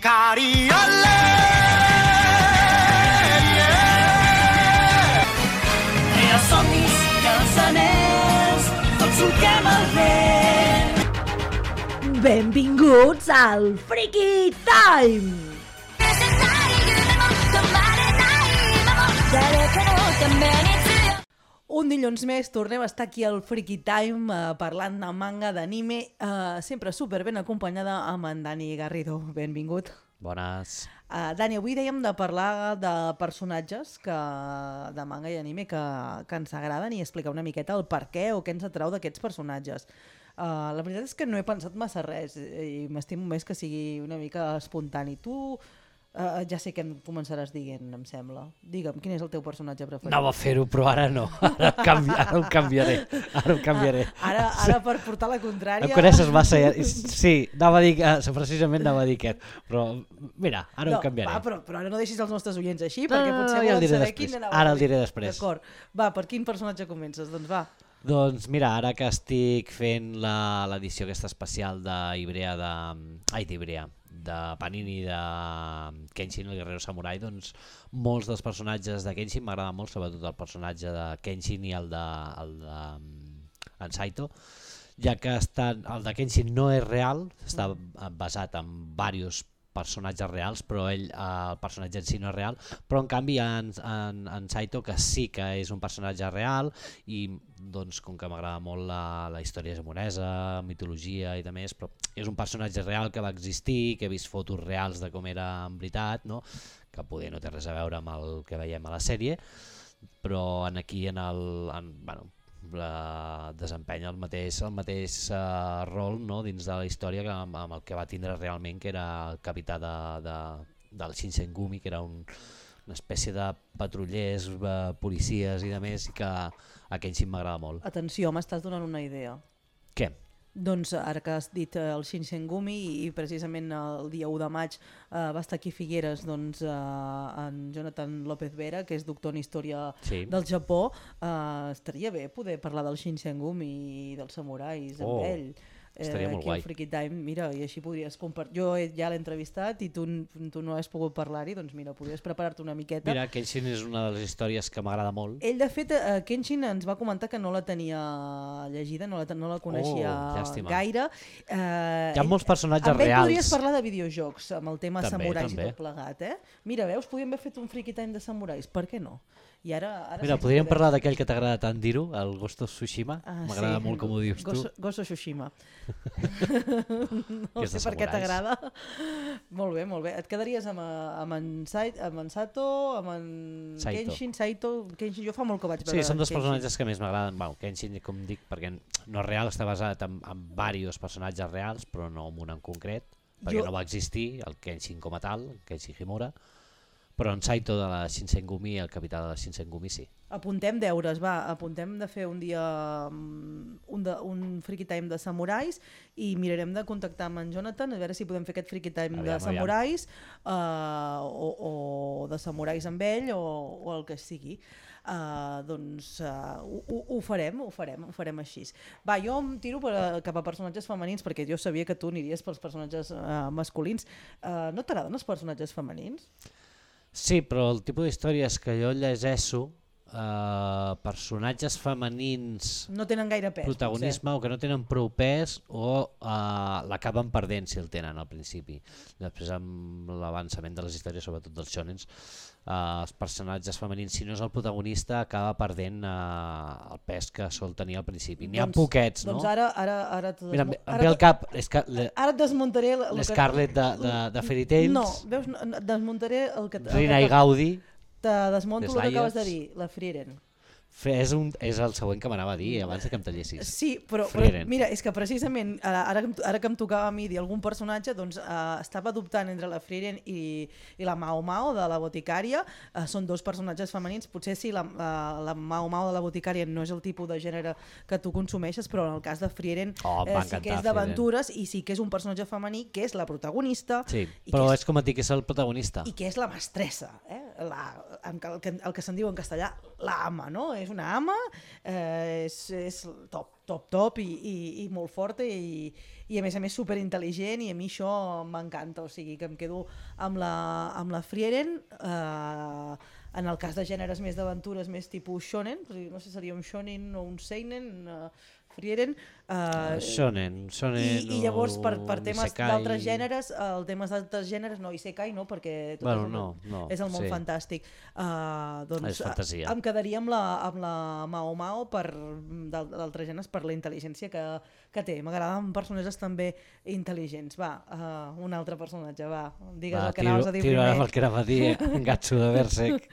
Cariole! Els somnis i els anells, tots solquem el vent. Benvinguts al Freaky Time! Un dilluns més tornem a estar aquí al Freaky Time parlant de manga, d'anime, sempre super ben acompanyada amb en Dani Garrido. Benvingut. Bones. Dani, avui dèiem de parlar de personatges de manga i anime que ens agraden i explicar una miqueta el per què o què ens atrau d'aquests personatges. La veritat és que no he pensat massa res i m'estimo més que sigui una mica espontani. Tu ja sé què em començaràs dient, em sembla. Digue'm, quin és el teu personatge preferit? Anava a fer-ho, però ara no. Ara ho canviaré. Ara per portar la contrària... Em coneixes massa. Sí, precisament anava a dir aquest. Però mira, ara ho canviaré. Però ara no deixis els nostres oients així, perquè potser volen saber quin anava a dir. Ara el diré després. D'acord. Va, per quin personatge comences? Doncs va. Doncs mira, ara que estic fent l'edició aquesta especial d'Ibrea, de Panini, de Kenshin, el guerrero samurai, doncs molts dels personatges de Kenshin m'agrada molt, sobretot el personatge de Kenshin i el de en Saito, ja que el de Kenshin no és real, està basat en diversos personatges reals, però el personatge en si no és real, però en canvi hi ha en Saito, que sí que és un personatge real, i doncs com que m'agrada molt la història japonesa, mitologia i de més, però és un personatge real que va existir, que he vist fotos reals de com era en veritat, no? Que poder no té res a veure amb el que veiem a la sèrie, però aquí desempenya el mateix rol, no? Dins de la història amb el que va tindre realment, que era el capità del Shinsengumi, que era una espècie de patrullers, policies i de més, que a Kenshin m'agrada molt. Atenció, m'estàs donant una idea. Què? Doncs ara que has dit el Shinsengumi i precisament el dia 1 de maig va estar aquí a Figueres en Jonathan López Vera, que és doctor en història del Japó. Estaria bé poder parlar del Shinsengumi i dels samurais amb ell. Estaria molt aquí guai. Al Freaky Time, mira, i així podries compartir. Jo ja l'he entrevistat i tu no has pogut parlar-hi, doncs mira, podries preparar-te una miqueta. Mira, Kenshin és una de les històries que m'agrada molt. Ell, de fet, Kenshin ens va comentar que no la tenia llegida, no la coneixia gaire. Hi ha molts personatges reals. Amb ell podries parlar de videojocs, amb el tema samurais i tot plegat. Mira, veus, podríem haver fet un Freaky Time de samurais, per què no? Mira, podríem parlar d'aquell que t'agrada tant dir-ho, el Ghost of Tsushima. M'agrada molt com ho dius tu. Ghost of Tsushima. No sé per què t'agrada. Molt bé, molt bé. Et quedaries amb en Sato, amb en Kenshin, Saito... Kenshin, jo fa molt que vaig veure. Sí, són dos personatges que més m'agraden. Kenshin, com dic, perquè no és real, està basat en diversos personatges reals, però no en un en concret, perquè no va existir el Kenshin com a tal, Kenshin Himura. Però en Saito de la Shinsengumi, el capità de la Shinsengumi, sí. Apuntem deures, apuntem de fer un dia un Freaky Time de samurais i mirarem de contactar amb en Jonathan a veure si podem fer aquest Freaky Time de samurais o de samurais amb ell o el que sigui. Doncs ho farem així. Va, jo em tiro cap a personatges femenins perquè jo sabia que tu aniries pels personatges masculins. No t'agraden els personatges femenins? Sí, però el tipus d'històries que jo llegeixo, personatges femenins no tenen gaire pes, protagonisme potser. O que no tenen prou pes o l'acaben perdent si el tenen al principi. Després amb l'avançament de les històries, sobretot dels shonens, els personatges femenins, si no és el protagonista, acaba perdent el pes que sol tenir al principi. N'hi ha poquets, no? Doncs ara mira, em ve al cap ara et desmuntaré l'Scarlet de Fairy Tails. No, veus, desmuntaré el que Rina i Gaudi. Te desmonto el que acabes de dir, la Frieren. És el següent que m'anava a dir abans que em tallessis. Sí, però mira, és que precisament ara que em tocava a mi dir algun personatge, doncs estava dubtant entre la Frieren i la Mao Mao de la boticària. Són dos personatges femenins, potser sí, la Mao Mao de la boticària no és el tipus de gènere que tu consumeixes, però en el cas de Frieren sí que és d'aventures i sí que és un personatge femení que és la protagonista. Sí, però és com et dic, és el protagonista. I que és la mestressa, el que se'n diu en castellà la ama, no? És una ama, és top i molt forta i a més superintel·ligent, i a mi això m'encanta, o sigui que em quedo amb la Frieren. En el cas de gèneres més d'aventures, més tipus shonen, no sé si seria un shonen o un seinen, Frieren. Shonen I llavors per temes isekai. d'altres gèneres, isekai no, perquè tot és el món fantàstic. Doncs és fantasia. em quedaria amb la Mao Mao d'altres gèneres per la intel·ligència que té. M'agraden personatges també intel·ligents. Va, un altre personatge, va, digues el que anaves a dir primer. El que anava a dir, Gatsu de Berserk.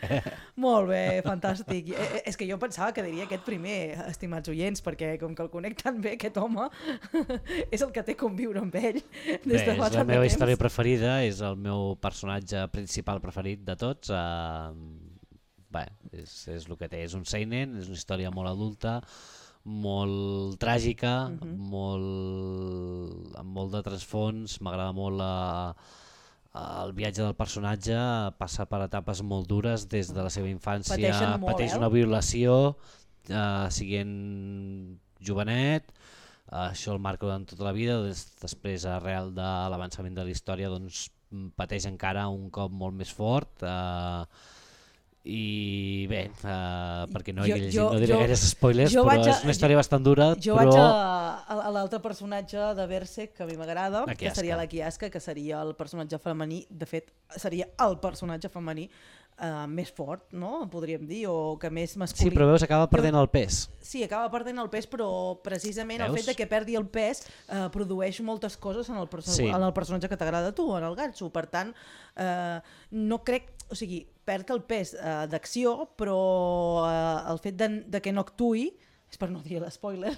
Molt bé, fantàstic. És que jo pensava que diria aquest primer, estimats oients, perquè com que el conec tan bé, aquest home, és el que té conviure amb ell des de fa tant de temps. És la meva història preferida, és el meu personatge principal preferit de tots. És el que té, és un seinen, és una història molt adulta, molt tràgica, amb molt de trasfons. M'agrada molt el viatge del personatge, passa per etapes molt dures des de la seva infància, pateix una violació siguent jovenet, això el marca durant tota la vida, després arrel de l'avançament de la història doncs, pateix encara un cop molt més fort. I bé, perquè no diré gaires spoilers, però és una història bastant dura. Jo vaig a l'altre personatge de Berserk que a mi m'agrada, que seria la Kiaska, que seria el personatge femení, de fet seria el personatge femení més fort, no? Podríem dir, o que més masculí. Sí, però veus, acaba perdent el pes. Sí, acaba perdent el pes, però precisament el fet de que perdi el pes produeix moltes coses en el personatge que t'agrada a tu, en el Gatsu. Per tant, no crec, o sigui, perd el pes d'acció, però el fet de que no actuï, és per no dir l'espoiler,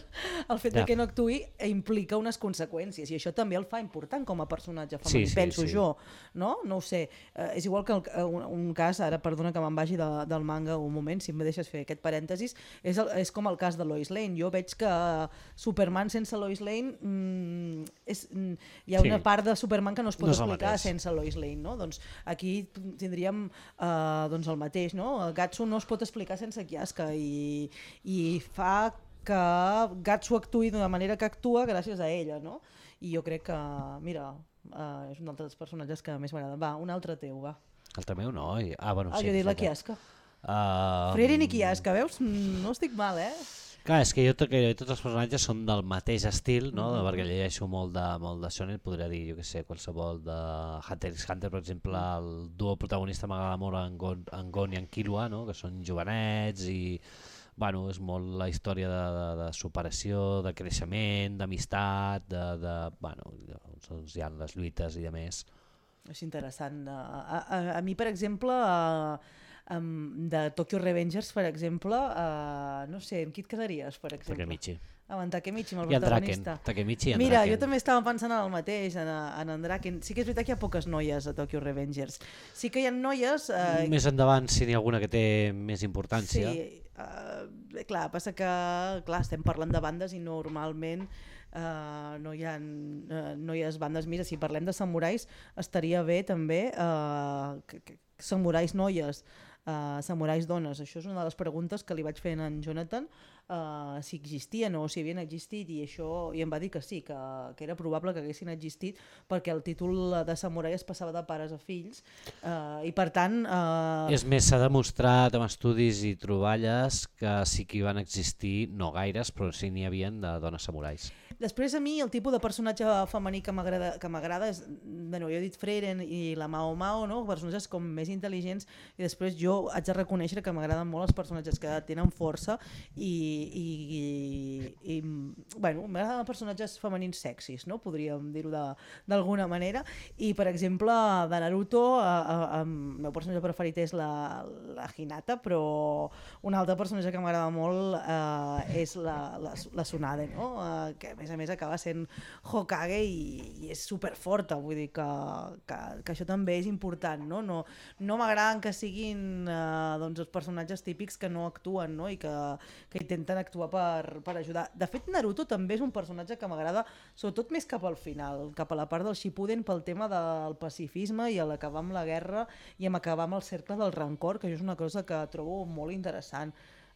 el fet de que no actuï implica unes conseqüències, i això també el fa important com a personatge femení, penso jo, no? No ho sé, és igual que un cas, ara perdona que me'n vagi del manga un moment, si em deixes fer aquest parèntesis, és com el cas de Lois Lane. Jo veig que Superman sense Lois Lane hi ha una part de Superman que no es pot explicar sense Lois Lane, no? Doncs aquí tindríem el mateix, no? Gatsu no es pot explicar sense Kiaska, i fa que Gatsu actuï d'una manera que actua gràcies a ella, no? I jo crec que, mira, és un dels personatges que més m'agrada. Va, un altre teu, va. Altre meu no? Bueno, sí, jo he dit la Kiaska. Frieren i Kiaska, veus? No estic mal, Clar, és que tots els personatges són del mateix estil, no? Perquè llegeixo molt de shonen, podria dir, jo què sé, qualsevol de Hunter x Hunter, per exemple, el duo protagonista m'agrada molt, en Gon i en Killua, no? Que són jovenets i bueno, és molt la història de superació, de creixement, d'amistat, doncs hi ha les lluites i de més. És interessant. A mi, per exemple, de Tokyo Revengers, per exemple, no sé, amb qui et quedaries, per exemple? Takemichi. Amb en Takemichi, amb el I en protagonista. Takemichi i en Mira, Draken. jo també estava pensant en el mateix, en en Draken. Sí que és veritat que hi ha poques noies a Tokyo Revengers. Sí que hi ha noies... Més endavant, si n'hi ha alguna que té més importància. Sí, clar, passa que estem parlant de bandes i normalment no hi ha noies bandes. Mira, si parlem de samurais, estaria bé també samurais noies, samurais dones. Això és una de les preguntes que li vaig fer a en Jonathan, si existien o si havien existit, i em va dir que sí, que era probable que haguessin existit perquè el títol de samurai es passava de pares a fills, i per tant... És més, s'ha demostrat amb estudis i troballes que sí que hi van existir, no gaires, però sí n'hi havien de dones samurais. Després, a mi, el tipus de personatge femení que m'agrada és, jo he dit Frieren i la Mao Mao, no? Personatges com més intel·ligents, i després jo haig de reconèixer que m'agraden molt els personatges que tenen força m'agraden personatges femenins sexis, no? Podríem dir-ho d'alguna manera, i per exemple de Naruto el meu personatge preferit és la Hinata, però un altre personatge que m'agrada molt és la Tsunade, no? Que a més a més acaba sent Hokage i és superforta, vull dir que això també és important, no? No m'agraden que siguin doncs els personatges típics que no actuen, no? I que intenten actuar per ajudar. De fet, Naruto també és un personatge que m'agrada, sobretot més cap al final, cap a la part del Shippuden, pel tema del pacifisme i l'acabar amb la guerra i amb acabar amb el cercle del rancor, que això és una cosa que trobo molt interessant.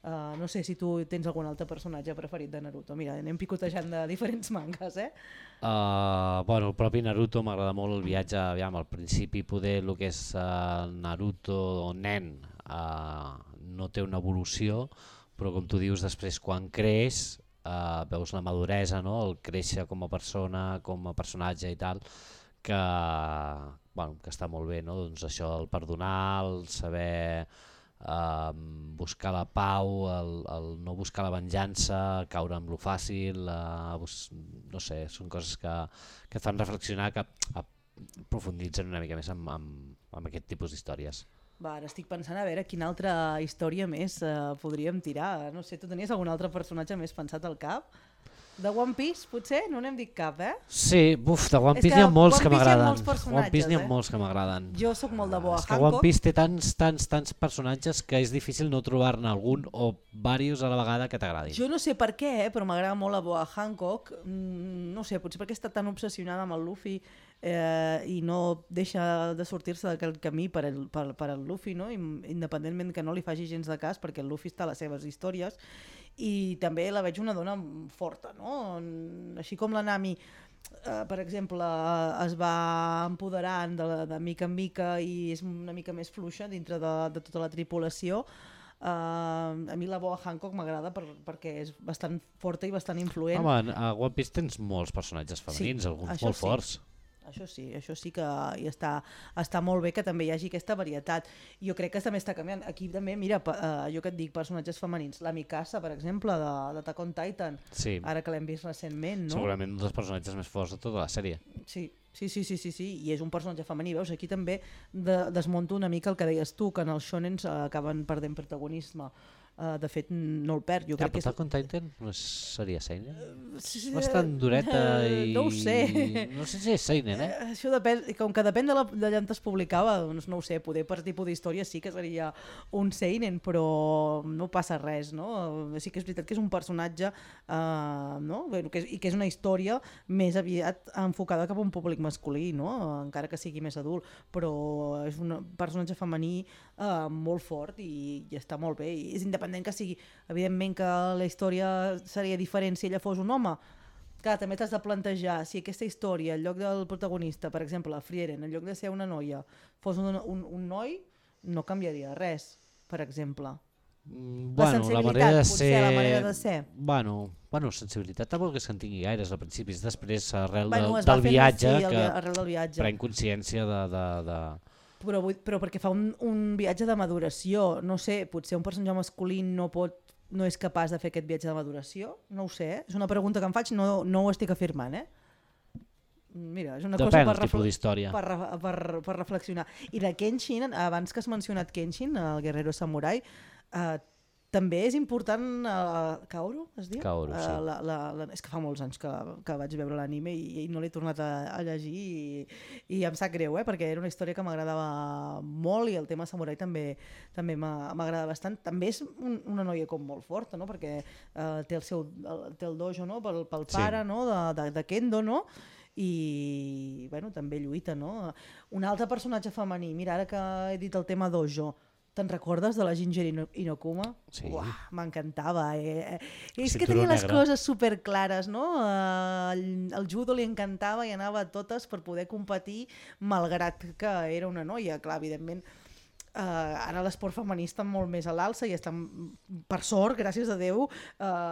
No sé si tu tens algun altre personatge preferit de Naruto. Mira, anem picotejant de diferents mangas, Bueno, el propi Naruto m'agrada molt el viatge, aviam, al principi poder el que és Naruto nen no té una evolució, però com tu dius, després quan creix veus la maduresa, no? El créixer com a persona, com a personatge i tal, que està molt bé, no? Doncs això, el perdonar, el saber buscar la pau, el no buscar la venjança, caure amb lo fàcil, no sé, són coses que et fan reflexionar, que profunditzen una mica més amb aquest tipus d'històries. Ara estic pensant a veure quina altra història més podríem tirar. No sé, tu tenies algun altre personatge més pensat al cap? De One Piece, potser? No n'hem dit cap, Sí, de One Piece n'hi ha molts que m'agraden. One Piece n'hi ha molts que m'agraden. Jo sóc molt de Boa Hancock. És que One Piece té tants personatges que és difícil no trobar-ne algun o diversos a la vegada que t'agradin. Jo no sé per què, però m'agrada molt la Boa Hancock. No sé, potser perquè està tan obsessionada amb el Luffy i no deixa de sortir-se d'aquell camí per al Luffy, no? Independentment que no li faci gens de cas, perquè el Luffy està a les seves històries. I també la veig una dona forta, no? Així com la Nami, per exemple, es va empoderant de mica en mica i és una mica més fluixa dintre de tota la tripulació, a mi la Boa Hancock m'agrada perquè és bastant forta i bastant influent. Home, a One Piece tens molts personatges femenins, alguns molt forts. Això sí que està molt bé que també hi hagi aquesta varietat. Jo crec que també està canviant. Aquí també, mira, jo que et dic, personatges femenins. La Mikasa, per exemple, d'Attack on Titan, ara que l'hem vist recentment, no? Segurament un dels personatges més forts de tota la sèrie. Sí, i és un personatge femení. Veus, aquí també desmunto una mica el que deies tu, que en els shonens acaben perdent protagonisme. De fet, no el perd. Jo crec que Attack on Titan no seria seinen? És bastant dureta i... No ho sé. No sé si és seinen, Això depèn, com que depèn d'allà on es publicava, doncs no ho sé, poder per tipus d'història sí que seria un seinen, però no passa res, no? Sí que és veritat que és un personatge, no? I que és una història més aviat enfocada cap a un públic masculí, no? Encara que sigui més adult, però és un personatge femení molt fort i està molt bé, i és independent que sigui, evidentment que la història seria diferent si ella fos un home. Clar, també t'has de plantejar si aquesta història, en lloc del protagonista, per exemple, la Frieren, en lloc de ser una noia, fos un noi, no canviaria res, per exemple. La sensibilitat, la manera de ser. Bueno, sensibilitat tampoc és que en tingui gaires al principi, és després arrel del viatge que pren consciència de... Però perquè fa un viatge de maduració, no sé, potser un personatge masculí no és capaç de fer aquest viatge de maduració, no ho sé, és una pregunta que em faig, no ho estic afirmant, Mira, és una cosa per reflexionar. I de Kenshin, abans que has mencionat Kenshin, el guerrero samurai, també és important Kaoru, es diu? Kaoru, sí. És que fa molts anys que vaig veure l'anime i no l'he tornat a llegir i em sap greu, perquè era una història que m'agradava molt i el tema samurai també m'agrada bastant. També és una noia com molt forta, no? Perquè té el dojo, no? Pel pare, no? de Kendo, no? I també lluita, no? Un altre personatge femení, mira, ara que he dit el tema dojo, te'n recordes de la Ginger Inokuma? Sí. M'encantava. És que tenia les coses superclares, no? El judo li encantava i anava a totes per poder competir, malgrat que era una noia. Clar, evidentment, ara l'esport femení està molt més a l'alça i està, per sort, gràcies a Déu,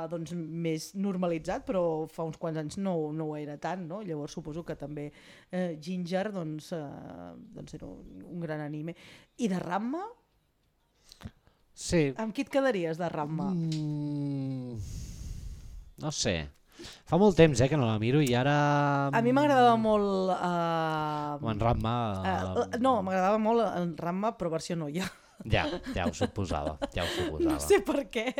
doncs més normalitzat, però fa uns quants anys no ho era tant, no? Llavors suposo que també Ginger doncs era un gran anime. I de Ranma? Sí. Amb qui et quedaries de Ranma? No sé. Fa molt temps que no la miro i ara... A mi m'agradava molt... En Ranma... No, m'agradava molt en Ranma, però versió noia. Ja ho suposava. No sé per què.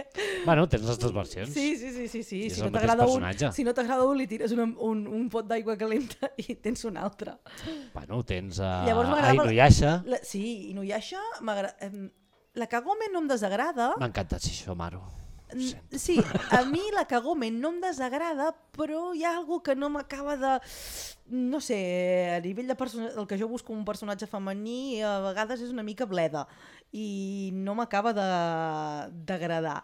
Bueno, tens les dues versions. Sí. I és Si el no mateix t'agrada personatge. si no t'agrada un, li tires un pot d'aigua calenta i tens un altre. Bueno, tens Llavors m'agradava- Inuyasha. Sí, Inuyasha la Kagome no em desagrada. M'ha encantat Shishomaru. Sí, a mi la Kagome no em desagrada, però hi ha algo que no m'acaba de... No sé, a nivell de el que jo busco un personatge femení a vegades és una mica bleda i no m'acaba d'agradar.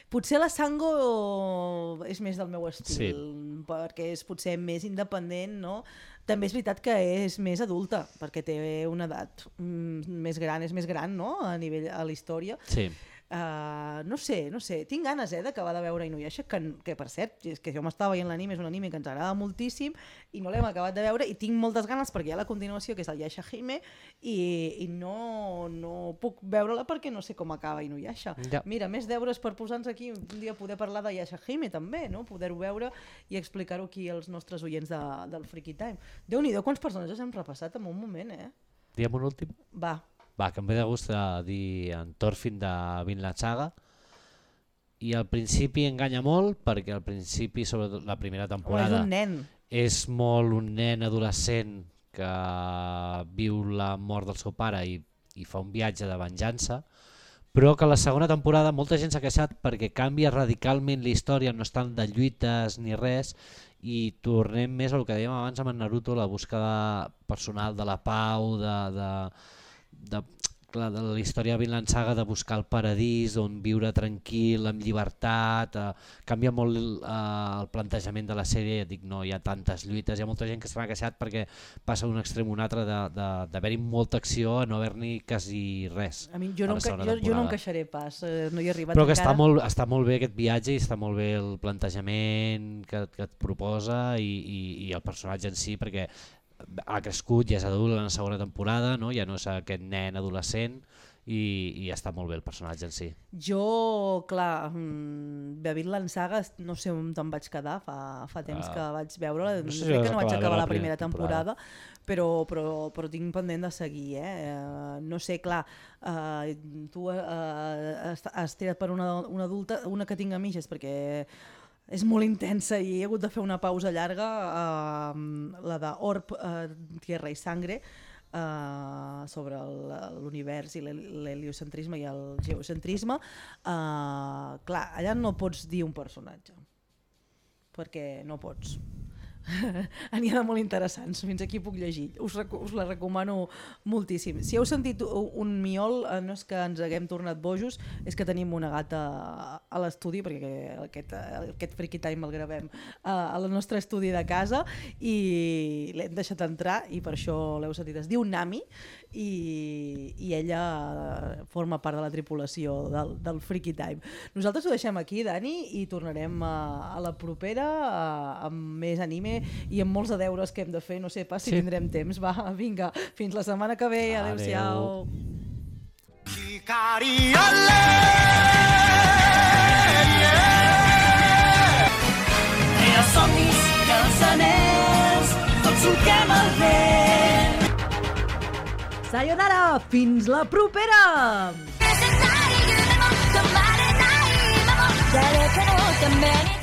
Potser la Sango és més del meu estil, perquè és potser més independent, no? També és veritat que és més adulta, perquè té una edat més gran, és més gran, no?, a nivell a la història. Sí. No sé, tinc ganes d'acabar de veure Inuyasha, que per cert, és que jo m'estava veient l'anime, és un anime que ens agrada moltíssim i no l'hem acabat de veure i tinc moltes ganes perquè hi ha la continuació que és el Yashahime i no puc veure-la perquè no sé com acaba Inuyasha. Ja. Mira, més deures per posar-nos aquí un dia poder parlar de Yashahime també, no? Poder-ho veure i explicar-ho aquí als nostres oients del Freaky Time. Déu-n'hi-do, quants personatges hem repassat en un moment, Diem un últim? Va, que em ve de gust dir en Thorfinn de Vinland Saga i al principi enganya molt perquè al principi, sobretot la primera temporada, és un nen. És molt un nen adolescent que viu la mort del seu pare i fa un viatge de venjança, però que la segona temporada molta gent s'ha queixat perquè canvia radicalment la història, no és tant de lluites ni res, i tornem més al que dèiem abans amb en Naruto, la búsqueda personal de la pau, de la història de Vinland Saga, de buscar el paradís, on viure tranquil, amb llibertat, canvia molt el plantejament de la sèrie, ja dic, no hi ha tantes lluites, hi ha molta gent que s'ha queixat perquè passa d'un extrem a un altre d'haver-hi molta acció a no haver-n'hi quasi res. A mi jo no em queixaré pas, no hi he arribat però que encara. està molt bé aquest viatge i està molt bé el plantejament que et proposa i el personatge en si, perquè ha crescut, ja és adult en la segona temporada, no? Ja no és aquest nen adolescent i està molt bé el personatge en si. Jo, clar, de Vinland Saga no sé on te'n vaig quedar, fa temps que vaig veure-la, crec que no vaig acabar la primera temporada, però tinc pendent de seguir. No sé, clar, tu has tirat per una adulta, una que tinc a mitges, perquè és molt intensa i he hagut de fer una pausa llarga, la de Orb, Tierra i Sangre, sobre l'univers i l'heliocentrisme i el geocentrisme. Clar, allà no pots dir un personatge, perquè no pots. N'hi ha de molt interessants, fins aquí puc llegir, us la recomano moltíssim. Si heu sentit un miol, no és que ens haguem tornat bojos, és que tenim una gata a l'estudi, perquè aquest Freaky Time el gravem al nostre estudi de casa i l'hem deixat entrar i per això l'heu sentit. Es diu Nami i ella forma part de la tripulació del Freaky Time. Nosaltres ho deixem aquí, Dani, i tornarem a la propera amb més anime i amb molts de deures que hem de fer, no sé pas si tindrem temps. Va, vinga, fins la setmana que ve, adeu-siau. Els somnis i els anells, tots solquem el vent. Sayonara, fins la propera! 誰かのために